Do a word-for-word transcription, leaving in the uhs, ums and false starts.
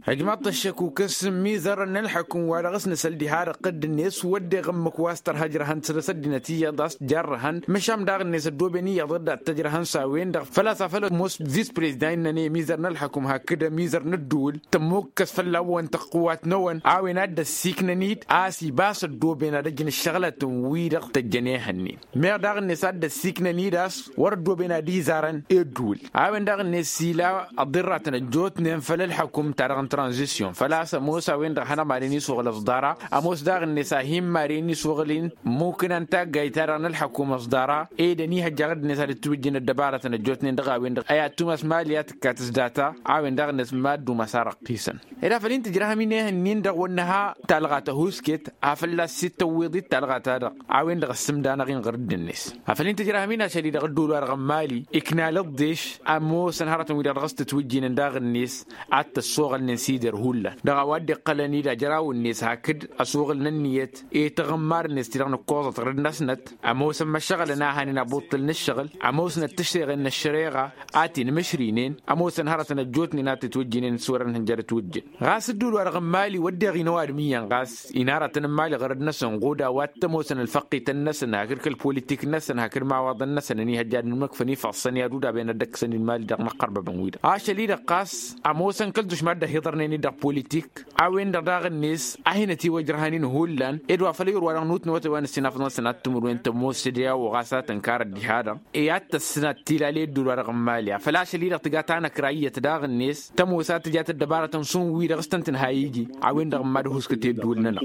Ăjmaḍ-t ăššăk ukǝs n-imizărăn n-ălḥukǝm wa dăɣ-s nǝsăl diha-dăɣ tădd-net wădden ămmǝk wa s-tărha ǝjrăhăn săr-s ăddinăt iyyăḍ a-s jarrăhăn. Măšan daɣ-net ăddooben iyyăḍ dd-ad-t-ăjrăhăn s-a-wen-dăɣ făl-a-s a făl ămoos vis-prezida innăn i-imizăr n-ălḥukǝm hakd ămizăr n-ăddǝwǝl tămmokăs fălla-wăn tăqqǝwat-năwăn a-wen a dd-ăssiiknăn-dd a-s ibas ăddooben ad-ăjǝn ǝššăɣǝlătăn-wi-dăɣ tăjjăn ehănnen. Meɣ daɣ-net a dd-ăssiiknăn-dd a-s wăr-ăddooben ad-izarăn i-ăddǝwǝl. A-wen daɣ-net s-ila ăḍirratăn ăjjootnen făll-ălḥăkum-ta-dăɣ n-tranzisyon făl-a-s ămoos a-wen-dăɣ hanăɣ-madăn isuɣǝl ăẓḍara. Ămoos daɣ-net a hin-madăn isuɣǝl-in mukǝna n-taggayt-ta-dăɣ n-ălḥăkum ăẓḍara. Ed ănihăjja ɣǝd-net ad-dd-tiwǝjjǝn ăddăbarătăn ăjjootnen dăɣ-a-wen-dăɣ ăy ad-tumas mali a tǝkkat s-data. A-wen daɣ-net mad-dumas ar ăqqisăn ed a făl-in-tǝjrăhăm-in ehăn-in-dăɣ wăr nǝha talɣa tăhuusket. Afăl lass-i t-tăwwiḍ-dd talɣa-ta-dăɣ a-wen-dăɣ ăssǝmd-anăɣ-in ɣur-dd-net. Afăl-in-tǝjrăhăm-in ašăl-i-dăɣ ăddul-wa-dăɣ n-mali ikna lăḍḍeš ămoosăn hărătăn-wi-dăɣ dăɣ-s tǝtwǝjjǝynen daɣ-net ad-t-ăssoɣălnen s-ider hullan dăɣ-a-wa dd-iqqălăn-dd ajrawăn-net hakd ăsoɣǝl n-ǝnniyăt i-taɣǝmmar-net ti-dăɣ nǝkkoẓăt ɣur-dd-năsnăt. Ămoosăn măššăɣǝlăn a hanen abuṭṭǝl n-ǝššăɣǝl ămoosnăt tǝššeɣen n-ăššăreɣa a t-inmǝšrinen. Ămoosăn hărătăn ăjjootnen a t-itwǝjjǝnen s-wăr-ănhǝnjărăt wǝjjǝn ɣas ǝddul-wa-dăɣ n-mali wădden ăɣinăw adǝm iyyăn ɣas inarătăn n-mali ɣărăd-năsăn ɣud a-wa t-ămoosăn ălfăqqităn-năsăn hakd kăl-politik-năsăn hakd imawaḍăn-năsăn ănihăjja ad-inmăkfăn ifăṣṣăn i-ad-udabăn ad-dd-ăkkăsăn i-mali dăɣ-inăqqărbăbăn-wi-dăɣ ašăl-i-dăɣ ɣas ămoosăn kăl-dušma dd-ăhiḍărnen-dd dăɣ-politik. A-wen-dăɣ daɣ-net a hin-ătiwăjrăhăn-in hullan ed wa făl ayǝr-wa-dăɣ nutnăwăt a-wa n-ǝssinafăḍ-năsăn ad-tǝmǝrwen tămoos sădeya wa ɣas a tǝnkarăt diha-dăɣ i-ad-tăssǝnat tilale ăddul-wa-dăɣ n-mali afăl ašăl-i-dăɣ tǝga tanăkra iyyăt daɣ-net tămoos ad-tǝjat ăddăbarătăn šund wi-dăɣ s-tăn-tǝnha iji. A-wen-dăɣ n-mad-ăhuskăt i-ăddul-nănăɣ.